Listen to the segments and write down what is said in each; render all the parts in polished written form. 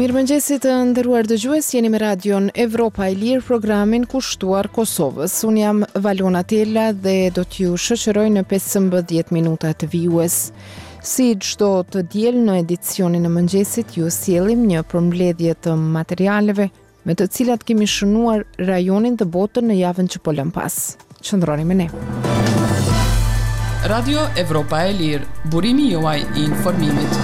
Mirëmëngjesi të nderuar dëgjues, jeni me Radion Evropa e Lirë, programin kushtuar Kosovës. Unë jam Valona Tela dhe do t'ju shoqëroj në 15 minutat vijues. Si çdo të diel në edicionin e mëngjesit, ju sjellim një përmbledhje të materialeve me të cilat kemi shënuar rajonin dhe botën në javën që po lëmë pas. Qëndroni me ne. Radio Evropa e Lirë, burimi juaj i informimit.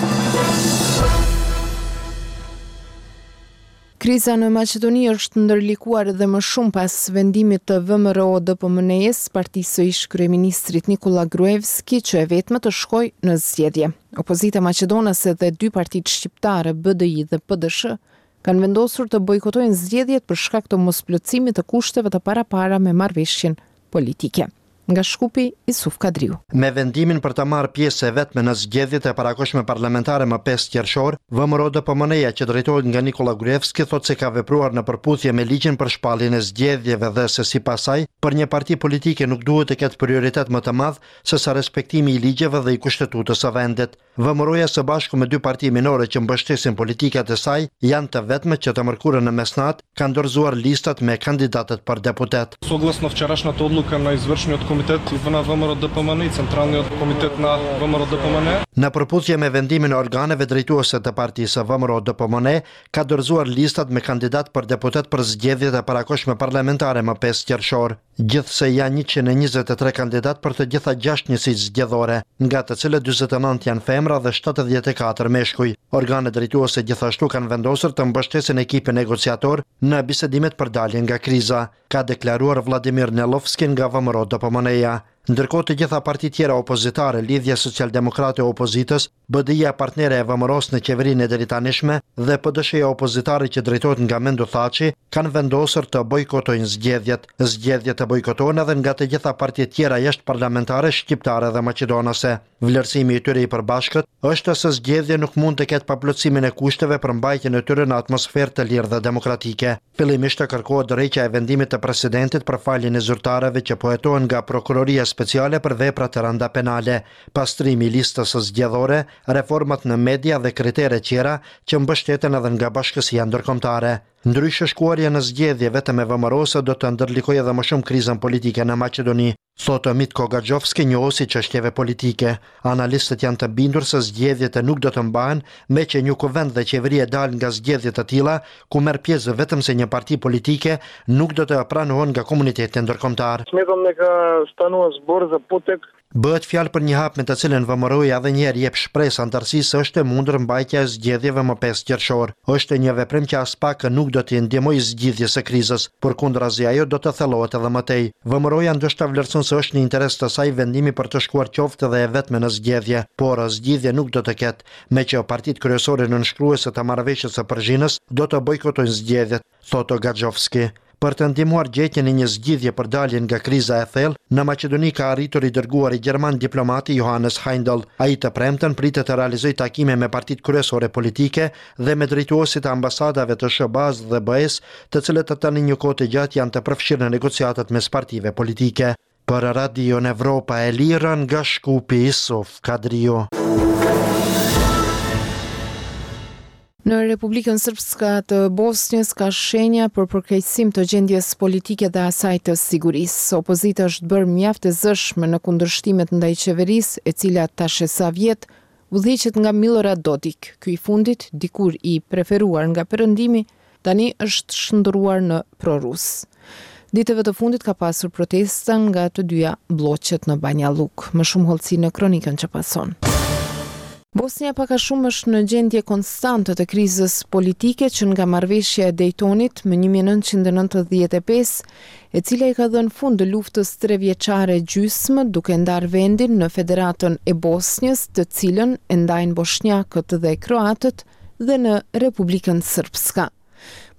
Kriza në Maqedoni është ndërlikuar edhe më shumë pas vendimit të VMRO-DPMNE-së, partisë së ish-kryeministrit Nikolla Gruevski, që e vetme të shkojë në zgjedhje. Opozita maqedonase dhe dy partitë shqiptare, BDI dhe PDSH, kanë vendosur të bojkotojnë zgjedhjet për shkak të mosplotësimit të kushteve të parapara me marrëveshjen politike. Nga Shkupi, Isuf Kadriu. Me vendimin për të marrë pjesë e vetme në zgjedhjet e parakohshme parlamentare më 5 qershor, VMRO-DPMNE-ja që drejtohet nga Nikolla Gruevski thotë se ka vepruar në përputhje me ligjin për shpalljen e zgjedhjeve dhe se sipas saj, për një parti politike nuk duhet të ketë prioritet më të madh sesa respektimi i ligjeve dhe i kushtetutës së vendit. VMRO-ja së bashku me dy parti minore që mbështesin politikat e saj janë të vetmet që të mërkurën në mesnatë kanë dorëzuar listat me kandidatët për deputetë. Согласно вчерашната одлука на извршниот комитет на ВМРО-ДПМН и Централниот комитет на ВМРО-ДПМН. Në përputhje me vendimin e organeve drejtuese të partisë VMRO-DPMNE ka dorëzuar listat me kandidatë për deputetë për zgjedhjet e parakohshme parlamentare më 5 qershor. Gjithsej janë 123 kandidatë për të gjitha 6 njësitë zgjedhore, nga të cilët 49 janë femra dhe 74 meshkuj. Organet drejtuese gjithashtu kanë vendosur të mbështesin ekipin negociator në bisedimet për daljen nga kriza, ka deklaruar Vladimir Nelovski nga VMRO-DPMNE-ja. Ndërkohë të gjitha partitë tjera opozitare, Lidhja Socialdemokrate e Opozitës, BDI-ja partnere e VMRO-së në qeverinë e deritanishme dhe PDSH-ja opozitare që drejtohet nga Mendu Thaçi, kanë vendosur të bojkotojnë zgjedhjet. Zgjedhjet të bojkotohen edhe nga të gjitha partitë tjera jashtëparlamentare shqiptare dhe maqedonase. Vlerësimi i tyre i përbashkët është se zgjedhje nuk mund të ketë pa plotësimin e kushteve për mbajtjen e tyre në atmosferë të lirë dhe demokratike. Fillimisht të kërkohet dorëheqja e vendimit të presidentit për faljen e zyrtarëve që po hetohen nga Prokuroria Speciale për vepra të rënda penale, pastrimi i listës zgjedhore, reformat në media dhe kritere tjera që mbështeten edhe nga bashkësia ndërkombëtare. Ndryshe shkuarja në zgjedhje vetëm e VMRO-së do të ndërlikojë edhe më shumë krizën politike në Maqedoni. Thotë Mitko Gaxhovski, njohës i çështjeve politike. Analistët janë të bindur se zgjedhjet nuk do të mbahen, meqë një kuvend dhe qeveri e dalë nga zgjedhje të tilla, ku merr pjesë vetëm se një parti politike, nuk do të pranohen nga komuniteti ndërkombëtar. Smetam дека станува збор за потек Bëhet fjalë për një hap me të cilën VMRO-ja edhe një herë jep shpresë anëtarësisë se është e mundur mbajtja e zgjedhjeve më 5 qershor. Është një veprim që aspak nuk do t'i ndihmojë zgjidhjes së krizës, përkundrazi ajo do të thellohet edhe më tej. VMRO-ja ndoshta vlerëson se është në interes të saj vendimi për të shkuar qoftë edhe e vetme në zgjedhje, por zgjidhje nuk do të ketë, meqë partitë kryesore nënshkruese të marrëveshjes së Përzhinës do të bojkotojnë zgjedhjet, thotë Gaxhovski. Për të ndihmuar gjetjen e një zgjidhje për daljen nga kriza e thellë, në Maqedoni ka arritur i dërguari gjerman diplomati Johannes Heindel. Ai të premten pritet të realizojë takime me partitë kryesore politike dhe me drejtuesit e ambasadave të SHBA-s dhe BE-s, të cilët tani një kohë të gjatë janë të përfshirë në negociatat mes partive politike. Për Radion Evropa e Lirë nga Shkupi Isuf Kadriu. Në Republikën Srpska të Bosnjës ka shenja për përkeqësim të gjendjes politike dhe asaj të sigurisë. Opozita është bërë mjaft e zëshme në kundërshtimet ndaj qeverisë, e cila tash e sa vjet udhëhiqet nga Milorad Dodik. Ky i fundit, dikur i preferuar nga Perëndimi, tani është shndërruar në prorus. Ditëve të fundit ka pasur protesta nga të dyja blloqet në Banja Llukë. Më shumë hollësi në kronikën që pason. Bosnja pak a shumë është në gjendje konstante të krizës politike që nga marrëveshja e Dejtonit më 1995, e cila i ka dhënë fund luftës trevjeçare gjysmë duke ndarë vendin në Federatën e Bosnjës, të cilën e ndajnë boshnjakët dhe kroatët dhe në Republikën Srpska.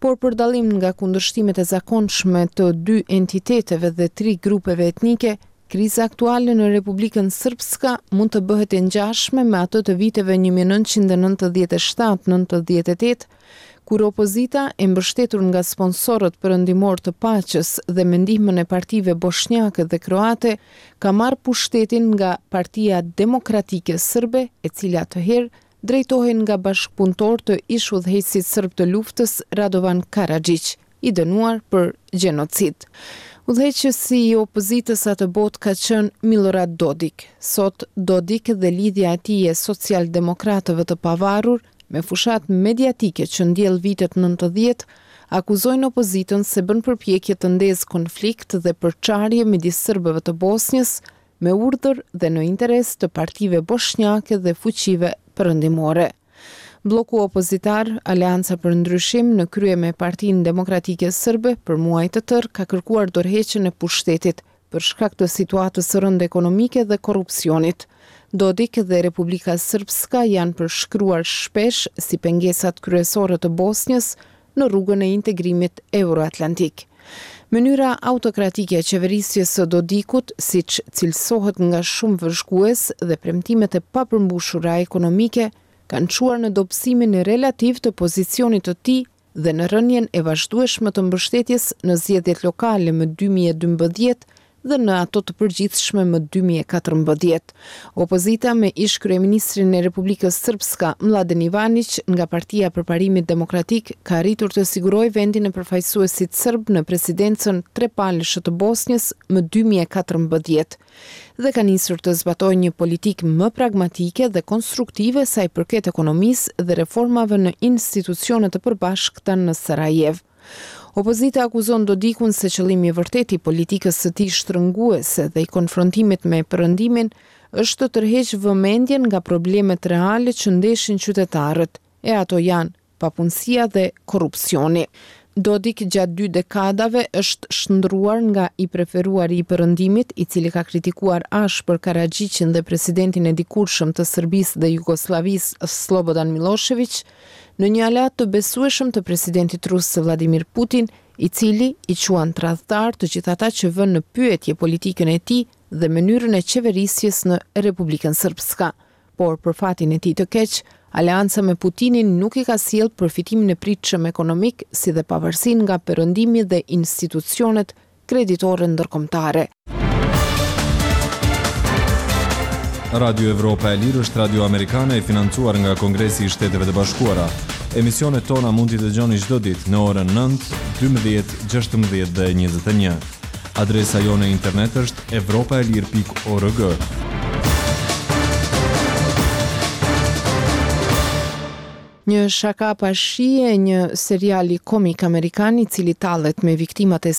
Por për dallim nga kundërshtimet e zakonshme të dy entiteteve dhe tri grupeve etnike, kriza aktuale në Republikën Srpska mund të bëhet e ngjashme me atë të viteve 1997-98, kur opozita e mbështetur nga sponsorët perëndimorë të paqes dhe me ndihmën e partive boshnjake dhe kroate ka marrë pushtetin nga Partia Demokratike Sërbe, e cila atëherë drejtohej nga bashkëpunëtorë të ish-udhëheqësit sërb të luftës Radovan Karaxhiq, i dënuar për gjenocid. Udhëheqësi i opozitës atëbotë ka qenë Millorad Dodik. Sot, Dodik dhe Lidhja e tij e Socialdemokratëve të Pavarur, me fushatë mediatike që ndjell vitet 90, akuzojnë opozitën se bën përpjekje të ndezë konflikt dhe përçarje midis sërbëve të Bosnjës me urdhër dhe në interes të partive boshnjake dhe fuqive perëndimore. Blloku opozitar, Aleanca për Ndryshim, në krye me Partinë Demokratike Sërbe, për muaj të tërë ka kërkuar dorëheqjen e pushtetit, për shkak të situatës së rëndë ekonomike dhe korrupsionit. Dodik dhe Republika Srpska janë përshkruar shpesh si pengesat kryesore të Bosnjës në rrugën e integrimit euroatlantik. Mënyra autokratike e qeverisjes së Dodikut, siç cilësohet nga shumë vëzhgues dhe premtimet e papërmbushura ekonomike, kanë çuar në dobësimin relativ të pozicionit të tij dhe në rënien e vazhdueshme të mbështetjes në zgjedhjet lokale më 2012 dhe në ato të përgjithshme më 2014. Opozita me ish-kryeministrin e Republikës Srpska, Mladen Ivaniq, nga Partia e Përparimit Demokratik, ka arritur të sigurojë vendin e përfaqësuesit sërb në presidencën trepalëshe të Bosnjës më 2014 dhe ka nisur të zbatojë një politikë më pragmatike dhe konstruktive sa i përket ekonomisë dhe reformave në institucionet e përbashkëta në Sarajevë. Opozita akuzon Dodikun se qëllimi i vërtetë i politikës së tij shtrënguese dhe i konfrontimit me Perëndimin është të tërheqë vëmendjen nga problemet reale që ndeshin qytetarët, e ato janë papunësia dhe korrupsioni. Dodik gjatë dy dekadave është shndërruar nga i preferuari i Perëndimit, i cili ka kritikuar ashpër Karaxhiqin dhe presidentin e dikurshëm të Serbisë dhe Jugosllavisë Sllobodan Millosheviq, në një aleat të besueshëm të presidentit rus Vladimir Putin, i cili i quan tradhtarë të gjithë ata që vënë në pyetje politikën e tij dhe mënyrën e qeverisjes në Republikën Srpska. Por për fatin e tij të keq, aleanca me Putinin nuk i ka sjellë përfitimin e pritshëm ekonomik si dhe pavarësinë nga Perëndimi dhe institucionet kreditore ndërkombëtare. Radio Evropa e Lirë është radio amerikane e financuar nga Kongresi i Shteteve të Bashkuara. Emisionet tona mund t'i dëgjoni çdo ditë në orën 9, 12, 16 dhe 21. Adresa jonë e internet është evropaelire.org. Një shaka pa shije e një seriali komik amerikan i cili tallet me viktimat e.